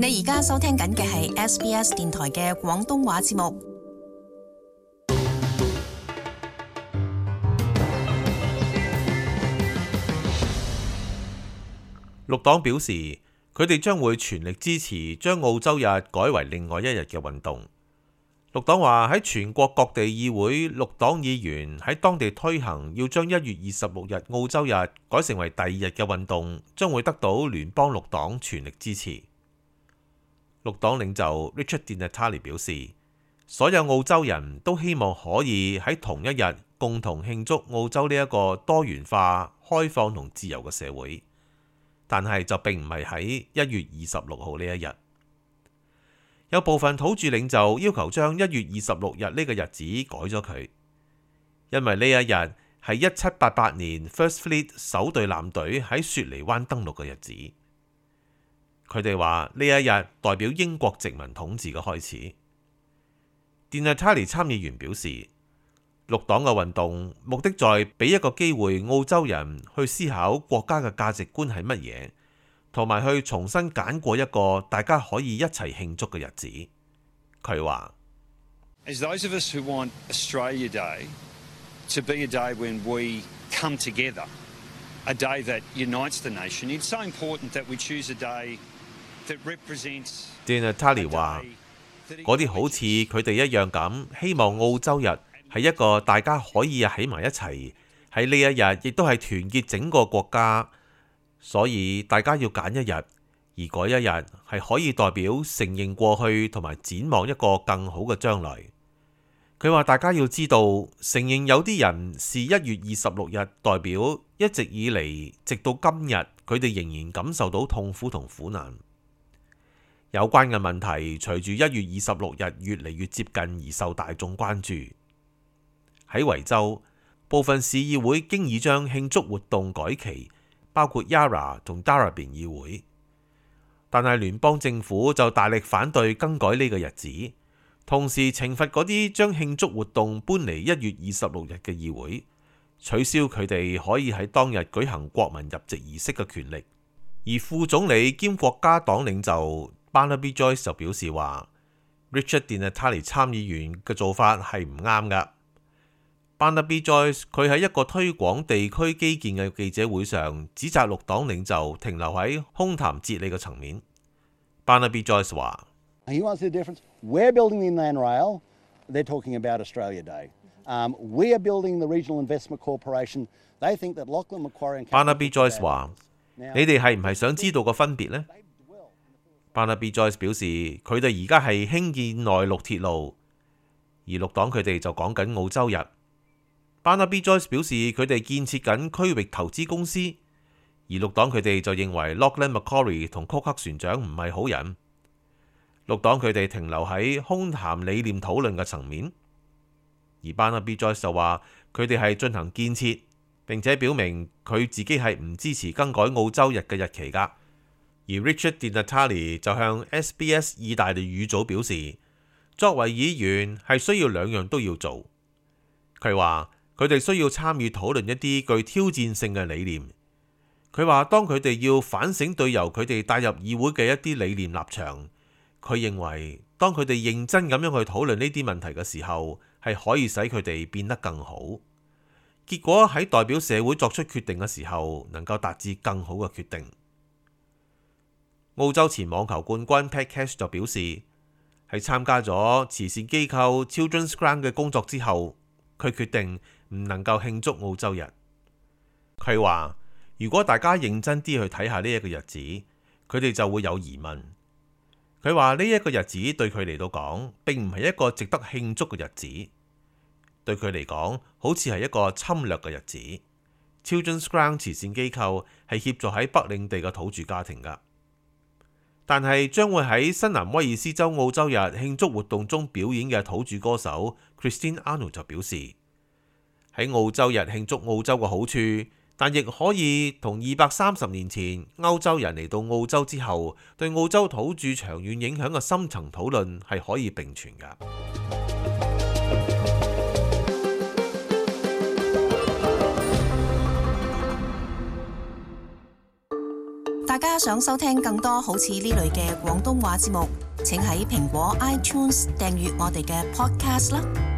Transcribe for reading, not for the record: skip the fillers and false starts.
你而家收聽緊嘅係 SBS 電台嘅廣東話節目。綠黨表示，佢哋將會全力支持將澳洲日改為另外一日嘅運動。綠黨話喺全國各地議會，綠黨議員喺當地推行要將1月26日澳洲日改成為第二日嘅運動，將會得到聯邦綠黨全力支持。綠黨領袖 Richard Di Natale 表示，所有澳洲人都希望可以喺同一日共同慶祝澳洲呢一個多元化、開放同自由嘅社會，但係就並唔係喺1月26號呢一日。有部分土著領袖要求將1月26日呢個日子改咗佢，因為呢一日係1788年 First Fleet 首隊艦隊喺雪梨灣登陸嘅日子。佢哋話呢一日代表英國殖民統治嘅開始。Di Natale 參議員表示，綠黨嘅運動目的在俾一個機會澳洲人去思考國家嘅價值觀係乜嘢，同埋去重新揀過一個大家可以一齊慶祝嘅日子。佢話 As those of us who want Australia Day to be a day when we come together, a day that unites the nation, it's so important that we choose a day that represents Di Natale 話嗰啲好似佢哋一樣咁，希望澳洲日係一個大家可以喺埋一齊，喺呢一日亦都係團結整個國家，所以大家要揀一日，而嗰一日係可以代表承認過去同埋展望一個更好嘅將來。佢話大家要知道，承認有啲人視1月26日代表一直以嚟直到今日，佢哋仍然感受到痛苦同苦難。有關嘅問題隨住1月26日越嚟越接近而受大眾關注。喺維州，部分市議會經已將慶祝活動改期，包括 Yarra 同 Darebin 議會，但係聯邦政府就大力反對更改呢個日子，同時懲罰嗰啲將慶祝活動搬嚟1月26日嘅議會，取消佢哋可以喺當日舉行國民入籍儀式嘅權力。而副總理兼國家黨領袖Barnaby Joyce 就表示話 Richard Di Natale 參議員嘅做法係唔啱㗎。Barnaby Joyce 佢喺一個推廣地區基建嘅記者會上指責綠黨領袖停留喺空談哲理嘅層面。Barnaby Joyce 話 He wants the difference. We're building the Inland Rail. They're talking about Australia Day. We are building the Regional Investment Corporation. They think that Lachlan Macquarie and Barnaby Joyce 話你哋係唔係想知道個分別呢？Barnaby Joyce 表示，佢哋而家係興建內陸鐵路，而綠黨佢哋就講緊澳洲日。Barnaby Joyce 表示，佢哋建設緊區域投資公司，而綠黨佢哋就認為 Lachlan Macquarie 同曲克船長唔係好人。綠黨佢哋停留喺空談理念討論嘅層面，而 Barnaby Joyce 就話佢哋係進行建設，並且表明佢自己係唔支持更改澳洲日嘅日期㗎。而 Richard Di Natale 就向 SBS 意大利語組表示，作為議員係需要兩樣都要做。佢話佢哋需要參與討論一啲具挑戰性嘅理念。佢話當佢哋要反省對由佢哋帶入議會嘅一啲理念立場，佢認為當佢哋認真咁樣去討論呢啲問題嘅時候，係可以使佢哋變得更好。結果喺代表社會作出決定嘅時候，能夠達至更好嘅決定。澳洲前網球冠軍 Pat Cash 就表示，喺參加咗慈善機構 Children's Grant 嘅工作之後，佢決定唔能夠慶祝澳洲日。佢話如果大家認真啲去睇下呢一個日子，佢哋就會有疑問。佢話呢一個日子對佢嚟到講並唔係一個值得慶祝嘅日子，對佢嚟講好似係一個侵略嘅日子。Children's Grant 慈善機構係協助喺北領地嘅土著家庭㗎。但係將會喺新南威爾斯州澳洲日慶祝活動中表演嘅土著歌手 Christine Arnold 就表示，喺澳洲日慶祝澳洲嘅好處，但亦可以同230年前歐洲人嚟到澳洲之後對澳洲土著長遠影響嘅深層討論係可以並存㗎。大家想收聽更多好似呢類嘅廣東話節目，請喺蘋果 iTunes 訂閱我哋嘅 podcast 啦。